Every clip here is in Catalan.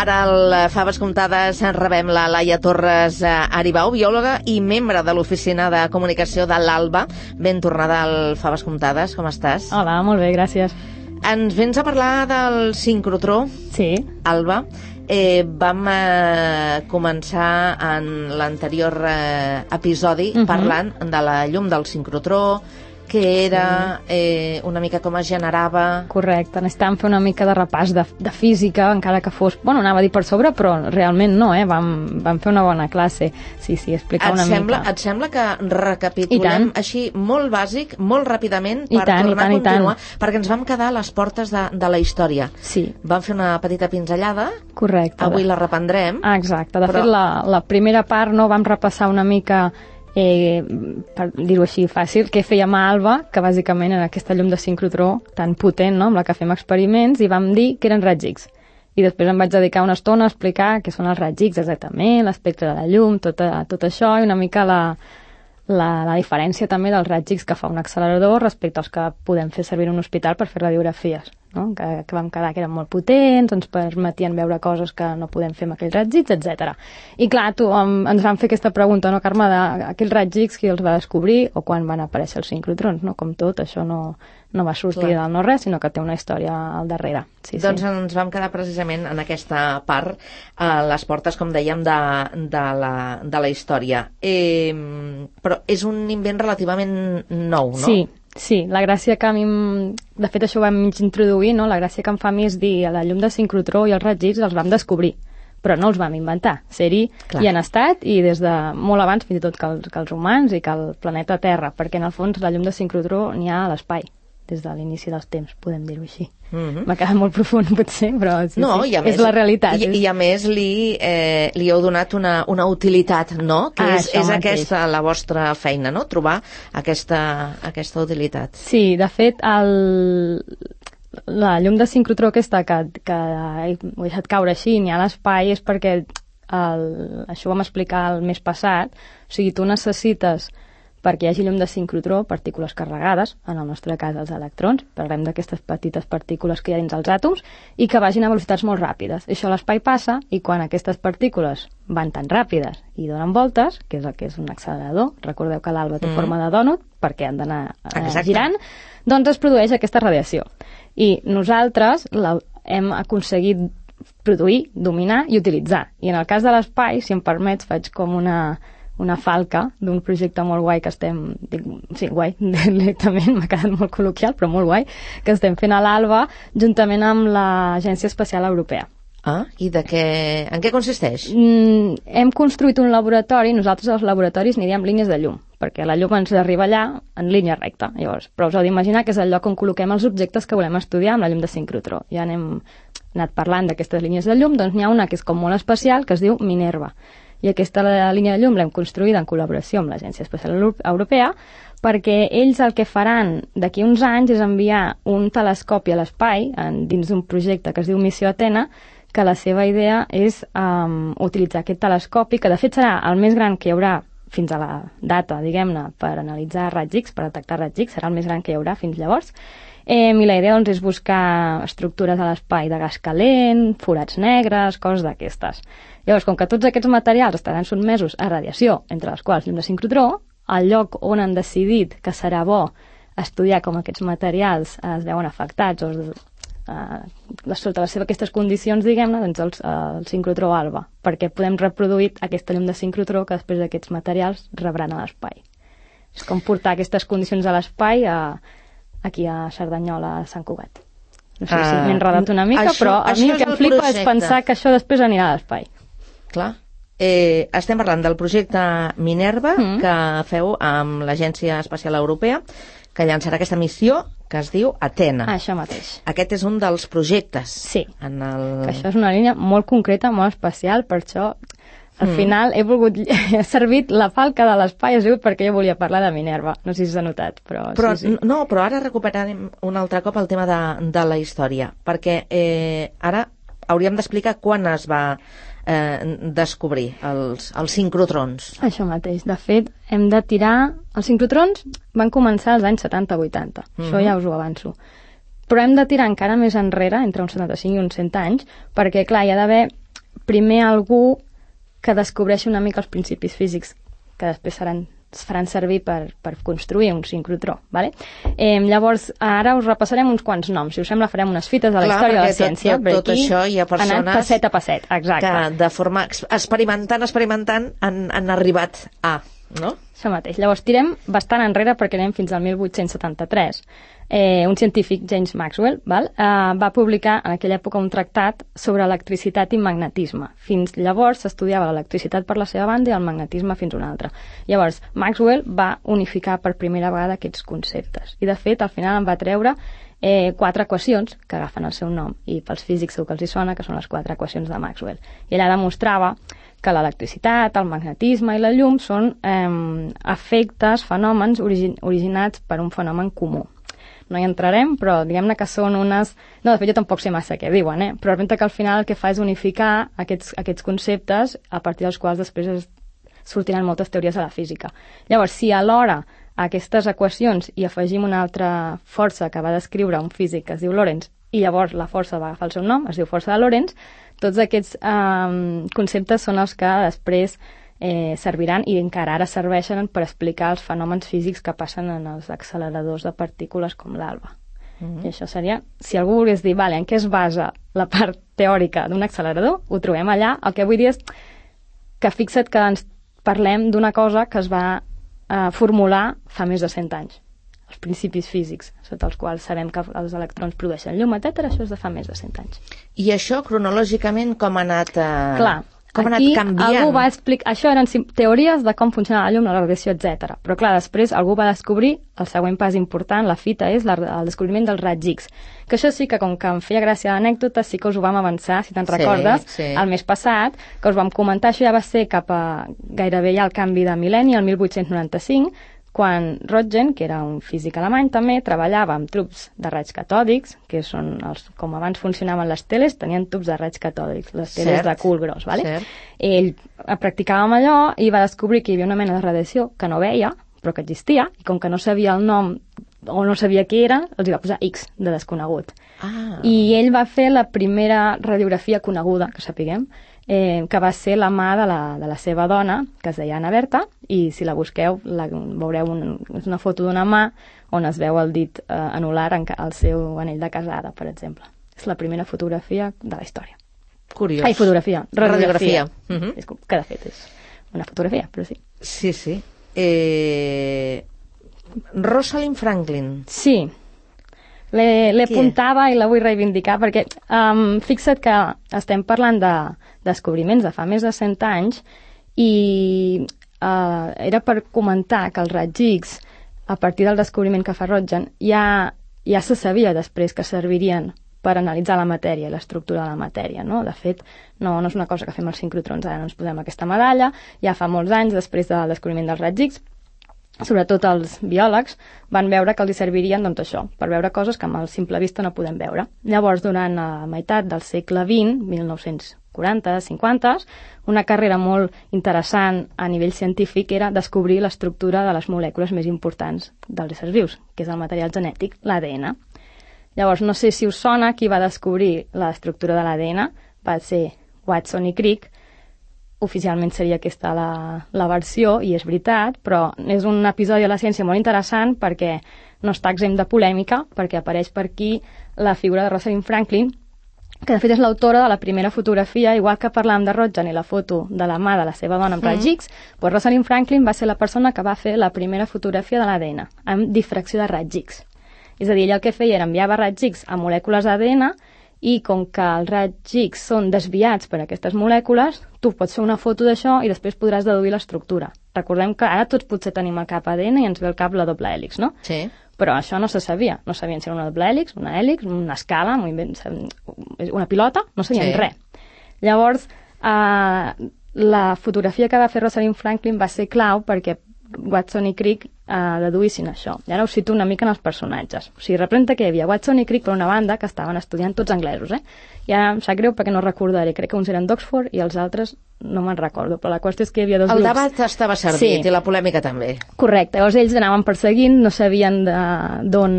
Ara al Faves Comptades rebem la Laia Torres Aribau, biòloga i membre de l'Oficina de Comunicació de l'ALBA. Ben tornada al Faves Comptades, com estàs? Hola, molt bé, gràcies. Ens vens a parlar del sincrotró, Sí. Alba. Vam començar en l'anterior episodi parlant de la llum del sincrotró, que era una mica com es generava... Correcte, necessitàvem fer una mica de repàs de física, encara que fos... Bueno, anava a dir per sobre, però realment no, Vam fer una bona classe. Sí, explicar una mica. Et sembla que recapitulem així molt bàsic, molt ràpidament, per tornar a continuar? Perquè ens vam quedar a les portes de la història. Sí. Vam fer una petita pinzellada. Correcte. Avui la reprendrem. Exacte. De fet, la primera part vam repassar una mica... per dir-ho així fàcil, què fèiem a ALBA, que bàsicament era aquesta llum de sincrotró tan potent, no?, amb la que fem experiments, i vam dir que eren raigs X. I després em vaig dedicar una estona a explicar què són els raigs X exactament, l'espectre de la llum, tot això, i una mica la diferència també dels raigs X que fa un accelerador respecte als que podem fer servir en un hospital per fer radiografies, no? Que vam quedar que eren molt potents, ens permetien veure coses que no podem fer amb aquells raigs X, etc. I clar, ens van fer aquesta pregunta, no, Carme, d'aquells raigs X qui els va descobrir o quan van aparèixer els sincrotrons, no? Com tot, això no va sortir del no res, sinó que té una història al darrere. Sí. Doncs ens vam quedar precisament en aquesta part, a les portes, com dèiem, de la història. Però és un invent relativament nou, no? Sí, la gràcia que a mi... De fet, això ho vam introduir, no? La gràcia que em fa a mi és dir la llum de sincrotró i els raigs X els vam descobrir, però no els vam inventar. Ser-hi hi han estat, i des de molt abans, fins i tot que els humans i que el planeta Terra, perquè en el fons la llum de sincrotró n'hi ha a l'espai, des de l'inici dels temps, podem dir-ho així. M'ha quedat molt profund, potser, però és la realitat. I a més li heu donat una utilitat, no? Que és aquesta la vostra feina, no? Trobar aquesta utilitat. Sí, de fet, la llum de sincrotró aquesta que he deixat caure així, n'hi ha a l'espai, és perquè això ho vam explicar el mes passat. O sigui, tu necessites, perquè hi hagi llum de sincrotró, partícules carregades, en el nostre cas els electrons, parlem d'aquestes petites partícules que hi ha dins els àtoms, i que vagin a velocitats molt ràpides. Això a l'espai passa, i quan aquestes partícules van tan ràpides i donen voltes, que és el que és un accelerador, recordeu que l'ALBA té forma de dònut, perquè han d'anar girant, doncs es produeix aquesta radiació. I nosaltres hem aconseguit produir, dominar i utilitzar. I en el cas de l'espai, si em permets, faig com una falca d'un projecte molt guai que estem... Sí, guai, directament, m'ha quedat molt col·loquial, però molt guai, que estem fent a l'ALBA juntament amb l'Agència Espacial Europea. I en què consisteix? Hem construït un laboratori, nosaltres als laboratoris aniríem línies de llum, perquè la llum ens arriba allà en línia recta. Llavors, però us heu d'imaginar que és el lloc on col·loquem els objectes que volem estudiar amb la llum de sincrotró. Ja n'hem anat parlant d'aquestes línies de llum, doncs n'hi ha una que és com molt especial, que es diu Minerva. I aquesta línia de llum l'hem construïda en col·laboració amb l'Agència Espacial Europea, perquè ells el que faran d'aquí uns anys és enviar un telescopi a l'espai dins d'un projecte que es diu Missió Atena, que la seva idea és utilitzar aquest telescopi, que de fet serà el més gran que hi haurà fins a la data, diguem-ne, per analitzar raigs X, per detectar raigs X, serà el més gran que hi haurà fins llavors. I la idea doncs, és buscar estructures a l'espai de gas calent, forats negres, coses d'aquestes. Llavors, com que tots aquests materials estaran sotmesos a radiació, entre les quals llum de sincrotró, el lloc on han decidit que serà bo estudiar com aquests materials es veuen afectats o sota aquestes condicions, diguem-ne, doncs el sincrotró ALBA, perquè podem reproduir aquesta llum de sincrotró que després d'aquests materials rebran a l'espai. És com portar aquestes condicions a l'espai aquí a Cerdanyola, a Sant Cugat. No sé si m'he enredat una mica, però a mi el que em flipa és pensar que això després anirà a l'espai. Clar. Estem parlant del projecte Minerva que feu amb l'Agència Espacial Europea, que llançarà aquesta missió que es diu Atena. Això mateix. Aquest és un dels projectes. Sí, que això és una línia molt concreta, molt especial, per això al final he servit la falca de l'espai, ha sigut perquè jo volia parlar de Minerva. No sé si s'ha notat, però sí. No, però ara recuperarem un altre cop el tema de la història, perquè ara hauríem d'explicar quan es va descobrir els sincrotrons. Això mateix. De fet, hem de tirar... Els sincrotrons van començar als anys 70-80. Això ja us ho avanço. Però hem de tirar encara més enrere, entre uns 75 i uns 100 anys, perquè, clar, hi ha d'haver primer algú que descobreixi una mica els principis físics que després es faran servir per construir un sincrotró. Vale? Llavors, ara us repassarem uns quants noms. Si us sembla, farem unes fites de la història de la ciència. Tot això hi ha persones anant passet a passet, exacte. Que de forma experimentant han arribat a... No? Això mateix. Llavors, tirem bastant enrere perquè anem fins al 1873. Un científic, James Maxwell, va publicar en aquella època un tractat sobre electricitat i magnetisme. Fins llavors s'estudiava l'electricitat per la seva banda i el magnetisme fins una altra. Llavors, Maxwell va unificar per primera vegada aquests conceptes. I, de fet, al final en va treure 4 equacions que agafen el seu nom. I pels físics segur que els hi sona, que són les 4 equacions de Maxwell. I ella demostrava que l'electricitat, el magnetisme i la llum són efectes, fenòmens originats per un fenomen comú. No hi entrarem, però diguem-ne que són unes... No, de fet, jo tampoc sé massa què diuen, però representa que al final el que fa és unificar aquests conceptes a partir dels quals després sortiran moltes teories de la física. Llavors, si alhora a aquestes equacions hi afegim una altra força que va descriure un físic que es diu Lorentz, i llavors la força va agafar el seu nom, es diu força de Lorentz, tots aquests conceptes són els que després serviran i encara ara serveixen per explicar els fenòmens físics que passen en els acceleradors de partícules com l'alba. I això seria, si algú volgués dir, en què es basa la part teòrica d'un accelerador, ho trobem allà. El que vull dir és que fixa't que ens parlem d'una cosa que es va formular fa més de 100 anys. Els principis físics, sota els quals sabem que els electrons produeixen llum, etc. Això és de fa més de 100 anys. I això, cronològicament, com ha anat canviant? Algú va explicar... Això eren teories de com funciona la llum, la radiació, etc. Però, clar, després algú va descobrir, el següent pas important, la fita, és el descobriment dels raigs X. Que això sí que, com que em feia gràcia l'anècdota, sí que us ho vam avançar, si te'n recordes, el mes passat, que us vam comentar, això ja va ser cap a gairebé ja el canvi de mil·lenni, el 1895, quan Röntgen, que era un físic alemany també, treballava amb tubs de raigs catòdics, que són com abans funcionaven les teles, tenien tubs de raigs catòdics, les teles de cul gros, ¿vale? Ell practicava amb allò i va descobrir que hi havia una mena de radiació que no veia, però que existia, i com que no sabia el nom o no sabia què era, els hi va posar X, de desconegut. I ell va fer la primera radiografia coneguda, que sapiguem, que va ser la mà de la seva dona, que es deia Anna Berta, i si la busqueu veureu una foto d'una mà on es veu el dit anular al seu anell de casada, per exemple. És la primera fotografia de la història. Curiós. Ai, fotografia. Radiografia. Que de fet és una fotografia, però sí. Sí. Rosalind Franklin. Sí. L'he apuntava i la vull reivindicar perquè fixa't que estem parlant de descobriments de fa més de 100 anys i era per comentar que els raigs X, a partir del descobriment que fa Röntgen, ja se sabia després que servirien per analitzar la matèria i l'estructura de la matèria, no? De fet, no és una cosa que fem els sincrotrons, ara no ens posem aquesta medalla, ja fa molts anys després del descobriment dels raigs X, sobretot els biòlegs van veure que els servirien doncs això, per veure coses que amb el simple vista no podem veure. Llavors, durant la meitat del segle XX, 1940, 50, una carrera molt interessant a nivell científic era descobrir l'estructura de les molècules més importants dels éssers vius, que és el material genètic, l'ADN. Llavors, no sé si us sona qui va descobrir l'estructura de l'ADN, va ser Watson i Crick. Oficialment seria aquesta la versió, i és veritat, però és un episodi de la ciència molt interessant perquè no està exempt de polèmica, perquè apareix per aquí la figura de Rosalind Franklin, que de fet és l'autora de la primera fotografia, igual que parlàvem de Röntgen i la foto de la mà de la seva dona amb raigs X, doncs Rosalind Franklin va ser la persona que va fer la primera fotografia de l'ADN, amb difracció de raigs X. És a dir, ella el que feia era enviava raigs X a molècules d'ADN, i com que els raigs X són desviats per aquestes molècules, tu pots fer una foto d'això i després podràs deduir l'estructura. Recordem que ara tots potser tenim el cap ADN i ens ve el cap la doble hèlix, no? Sí. Però això no se sabia. No sabien si era una doble hèlix, una escala, una pilota, no sabien res. Llavors, la fotografia que va fer Rosalind Franklin va ser clau perquè Watson i Crick deduïssin això. I ara us cito una mica en els personatges. O sigui, representa que hi havia Watson i Crick per una banda que estaven estudiant tots anglesos, I ara em sap greu perquè no recordaré. Crec que uns eren d'Oxford i els altres no me'n recordo, però la qüestió és que hi havia dos grups. El debat estava servit i la polèmica també. Correcte. Llavors ells anaven perseguint, no sabien d'on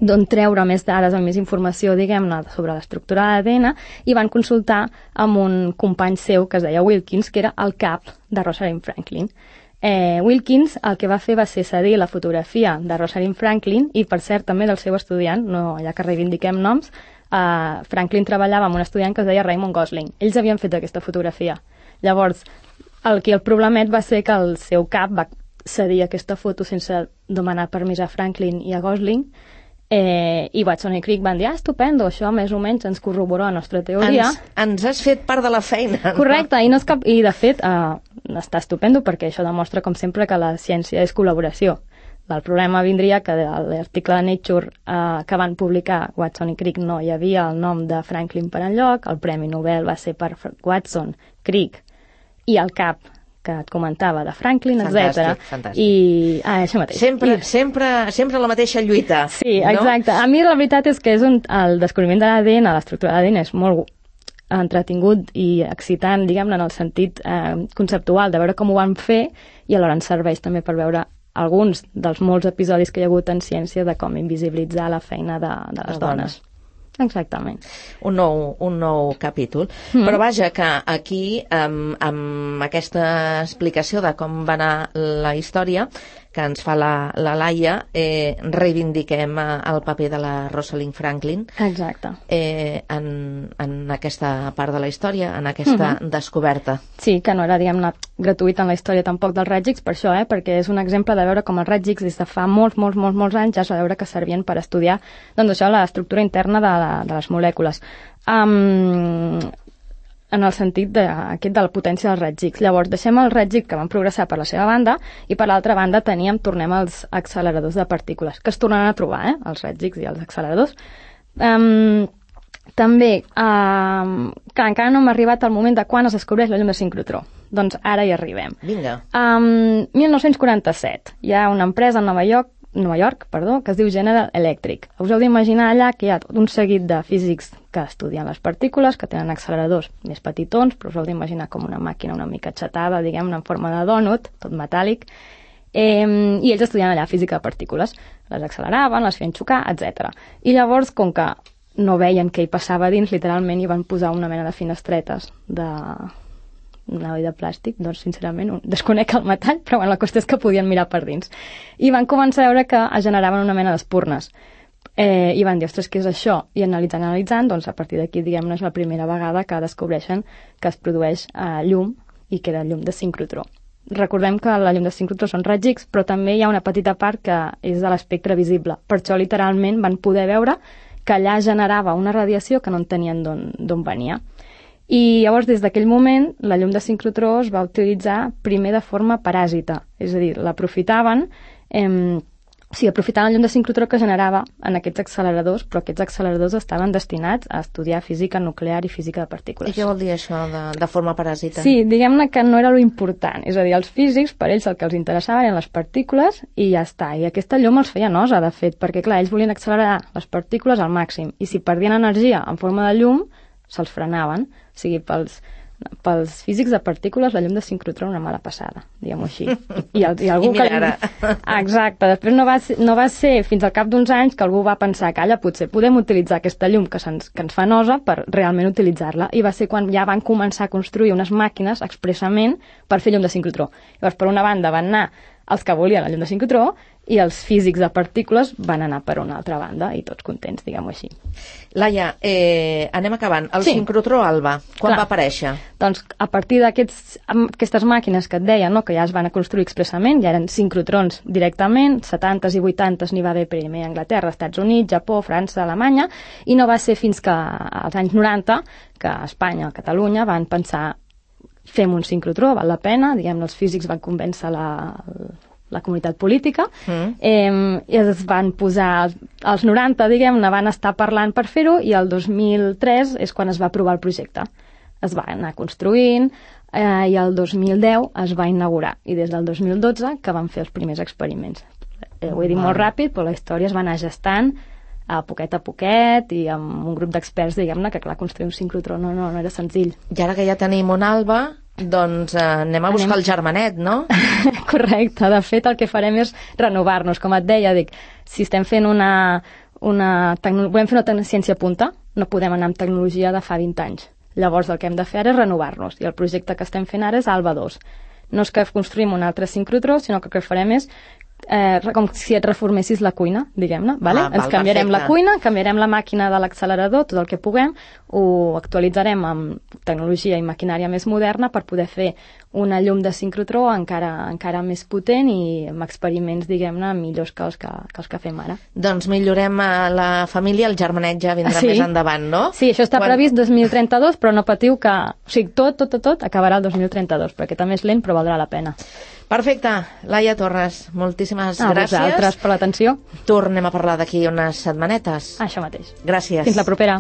d'on treure més dades, amb més informació, diguem-ne, sobre l'estructura de l'ADN, i van consultar amb un company seu que es deia Wilkins, que era el cap de Rosalind Franklin. Wilkins el que va fer va ser cedir la fotografia de Rosalind Franklin i, per cert, també del seu estudiant, no, ja que reivindiquem noms, Franklin treballava amb un estudiant que es deia Raymond Gosling. Ells havien fet aquesta fotografia. Llavors, el problemet va ser que el seu cap va cedir aquesta foto sense demanar permís a Franklin i a Gosling, i Watson i Crick van dir, estupendo, això més o menys ens corrobora la nostra teoria. Ens has fet part de la feina. Correcte, i de fet està estupendo perquè això demostra, com sempre, que la ciència és col·laboració. El problema vindria que a l'article de Nature que van publicar Watson i Crick no hi havia el nom de Franklin per enlloc, el Premi Nobel va ser per Watson, Crick i el cap que et comentava de Franklin, etc. Fantàstic. I això mateix. Sempre la mateixa lluita. Sí, exacte. A mi la veritat és que el descobriment de l'ADN, l'estructura de l'ADN és molt entretingut i excitant, diguem-ne, en el sentit conceptual de veure com ho van fer, i alhora ens serveix també per veure alguns dels molts episodis que hi ha hagut en ciència de com invisibilitzar la feina de les dones. Exactament. Un nou capítol. Però vaja, que aquí, amb aquesta explicació de com va anar la història que ens fa la Laia, reivindiquem el paper de la Rosalind Franklin. Exacte. En aquesta part de la història, en aquesta descoberta. Sí, que no era, diguem-ne, gratuït en la història tampoc dels raigs X, per això, perquè és un exemple de veure com els raigs X des de fa molts anys ja es va veure que servien per estudiar, doncs això, l'estructura interna de les molècules. En el sentit de la potència dels raigs X. Llavors, deixem els raigs X que van progressar per la seva banda i per l'altra banda tornem als acceleradors de partícules, que es tornen a trobar, els raigs X i els acceleradors. També, que encara no hem arribat al moment de quan es descobreix la llum de sincrotró. Doncs ara hi arribem. Vinga. 1947, hi ha una empresa a Nova York, que es diu General Electric. Us heu d'imaginar allà que hi ha un seguit de físics que estudien les partícules, que tenen acceleradors més petitons, però us heu d'imaginar com una màquina una mica xatada, diguem-ne, en forma de dònut, tot metàl·lic, i ells estudien allà física de partícules. Les acceleraven, les feien xocar, etc. I llavors, com que no veien què hi passava dins, literalment hi van posar una mena de finestretes de plàstic, doncs sincerament desconec el metall, però bueno, la qüestió és que podien mirar per dins. I van començar a veure que es generaven una mena d'espurnes. I van dir, ostres, què és això? I analitzant, doncs a partir d'aquí, diguem-ne, és la primera vegada que descobreixen que es produeix llum i que era llum de sincrotró. Recordem que la llum de sincrotró són raigs X, però també hi ha una petita part que és de l'espectre visible. Per això, literalment, van poder veure que allà generava una radiació que no entenien d'on venia. I llavors, des d'aquell moment, la llum de sincrotró es va utilitzar primer de forma paràsita, és a dir, l'aprofitaven, aprofitaven la llum de sincrotró que generava en aquests acceleradors, però aquests acceleradors estaven destinats a estudiar física nuclear i física de partícules. I què vol dir això de forma paràsita? Sí, diguem-ne que no era lo important, és a dir, els físics, per ells el que els interessava eren les partícules i ja està, i aquesta llum els feia nosa, de fet, perquè clar, ells volien accelerar les partícules al màxim, i si perdien energia en forma de llum, se'ls frenaven. O sigui, pels físics de partícules la llum de sincrotró era una mala passada, diguem-ho així. I algú I mira ara. Exacte, després no va ser fins al cap d'uns anys que algú va pensar que potser podem utilitzar aquesta llum que ens fa nosa per realment utilitzar-la, i va ser quan ja van començar a construir unes màquines expressament per fer llum de sincrotró. Llavors, per una banda van anar els que volien la llum de sincrotró i els físics de partícules van anar per una altra banda i tots contents, diguem-ho així. Laia, anem acabant. El sincrotró alba, quan va aparèixer? Doncs a partir d'aquestes màquines que et deia, no, que ja es van construir expressament, ja eren sincrotrons directament, 70s i 80s n'hi va haver primer a Anglaterra, Estats Units, Japó, França, Alemanya, i no va ser fins que als anys 90 que a Espanya, a Catalunya, van pensar fem un sincrotró, val la pena, diguem-ne, els físics van convèncer la comunitat política, i es van posar, als 90, diguem-ne, van estar parlant per fer-ho, i el 2003 és quan es va aprovar el projecte. Es va anar construint, i el 2010 es va inaugurar, i des del 2012 que van fer els primers experiments. Ho he dit molt ràpid, però la història es va anar gestant a poquet i amb un grup d'experts, diguem-ne, que clar, construir un sincrotró no era senzill. I ara que ja tenim un alba, doncs anem a buscar el germanet, no? Correcte, de fet el que farem és renovar-nos, com et deia, si estem fent volem fer una ciència punta, no podem anar amb tecnologia de fa 20 anys. Llavors el que hem de fer ara és renovar-nos, i el projecte que estem fent ara és Alba 2. No és que construïm un altre sincrotró, sinó que el que farem és com si et reformessis la cuina, diguem-ne, vale? Ens canviarem la cuina, canviarem la màquina de l'accelerador, tot el que puguem, ho actualitzarem amb tecnologia i maquinària més moderna per poder fer una llum de sincrotró encara més potent i amb experiments, diguem-ne, millors que els que fem ara. Doncs millorem la família, el germanet ja vindrà més endavant, no? Sí, això està previst 2032, però no patiu que... O sigui, tot acabarà el 2032, perquè també és lent, però valdrà la pena. Perfecte. Laia Torres, moltíssimes gràcies. A vosaltres per l'atenció. Tornem a parlar d'aquí unes setmanetes. Això mateix. Gràcies. Fins la propera.